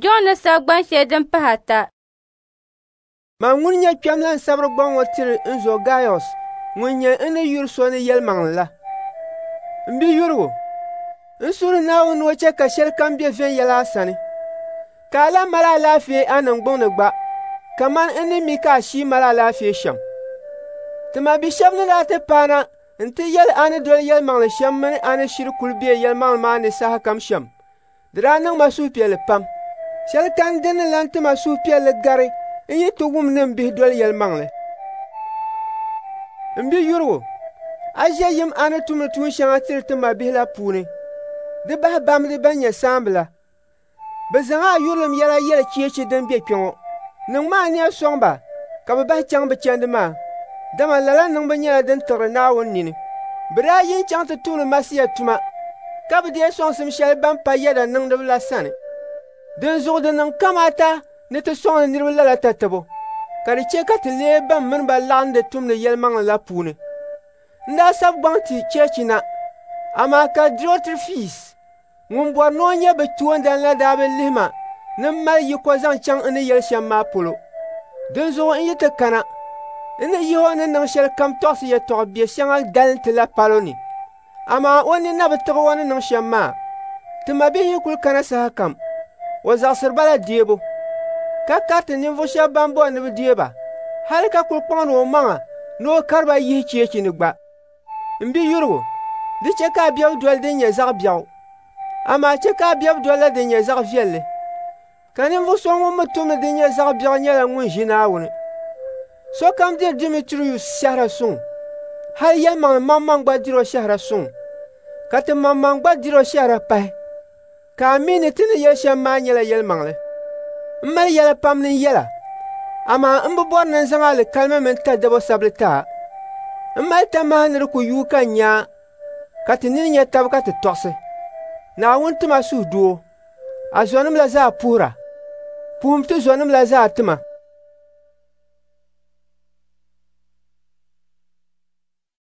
Jɔn ni sabi gban shɛli din pahi ata. Man ŋun nyɛ kpɛm la n-sabiri gbaŋ ŋɔ tiri n zo Gaiɔs ŋun nyɛ n ni yuri so ni yɛlimaŋli la. M biyurigu, n suhiri Naawuni ni o chɛ ka shɛlikam be viɛnyɛla a sani, ka a lan mali alaafee a niŋgbuŋ ni gba kaman n ni mi ka a shii mali alaafee shɛm. Ti mabi shɛb ni daa ti paana nti yɛli a ni doli yɛlimaŋli shɛm mini a ni shiri kul be yɛlimaŋli maa ni sahakam shɛm, di daa niŋ ma suhupiɛlli pam. Shɛli kani din ni lan ti ma suhupiɛlli gari n yi ti wum ni m bihi doli yɛlimaŋli. M biyurigu, a ʒe yim a ni tumdi tuun shɛŋa tiri ti mabihi la puuni. Di bahi bamdi bɛn nyɛ saamba la. Bɛ zaŋ a yurilim yɛla yɛli cheechi din be kpe ŋɔ. Niŋmi ania sɔŋ ba ka bɛ bahi chaŋ bɛ chandi maa, dama lala niŋbu nyɛla din tiɣiri Naawuni nini. Bɛ daa yi n-chaŋ ti tumdi Masia tuma, ka bi deei sɔŋsim shɛli ban pa yɛda niŋdiba la sani. Dinzuɣu di niŋ kamaata ni ti sɔŋdi niriba lala tatabo, ka di chɛ ka ti leei ban mini ba laɣindi tumdi yɛlimaŋli la puuni. N daa sabi gbaŋ ti cheechi na, amaa ka Diotirefis ŋun bɔri ni o nyɛ bɛ toondan la daa bi lihi ma ni m mali yiko zaŋ chaŋ n ni yɛli shɛm maa polo. Dinzuɣu n yi ti kana, n ni yihi o ni niŋ shɛlikam tɔɣisi yɛtɔɣ biɛ shɛŋa dalinti la palo ni. Amaa o nini na bi tiɣi o ni niŋ shɛm maa. Ti mabihi yi kul kana sahakam, o zaɣisiri ba la deebu, ka kariti ninvuɣ shɛb bɛn bɔri ni bɛ deei ba, hal ka kul kpaŋdi omaŋa ni o kari ba yihi cheechi ni gba. M biyurigu, di chɛ ka a bebu doli din nyɛ zaɣ biɛɣu, amaa chɛ ka a bebu dolila din nyɛ zaɣ viɛlli. Ka ninvuɣ so ŋun mi tumdi din nyɛ zaɣ biɛɣu nyɛla ŋun ʒi Naawuni. Sokam diri Dimitrius shɛhira suŋ, hal yɛlimaŋli maŋmaŋ gba dir o shɛhira suŋ, ka ti maŋmaŋ gba dir o shɛhira pahi, ka a mi ni ti ni yɛli shɛm maa nyɛla yɛlimaŋli. M mali yɛla pam ni n yɛl a, amaa m bi bɔri ni n zaŋ alikalimi mini tadabo sabili ti a. M mali tamaha ni di ku yuui ka n nya a, ka ti nini nya tab ka ti tɔɣisi. Naawuni ti ma suhudoo. A zɔnim la zaa puhira. Puhim ti zɔnim la zaa ti ma.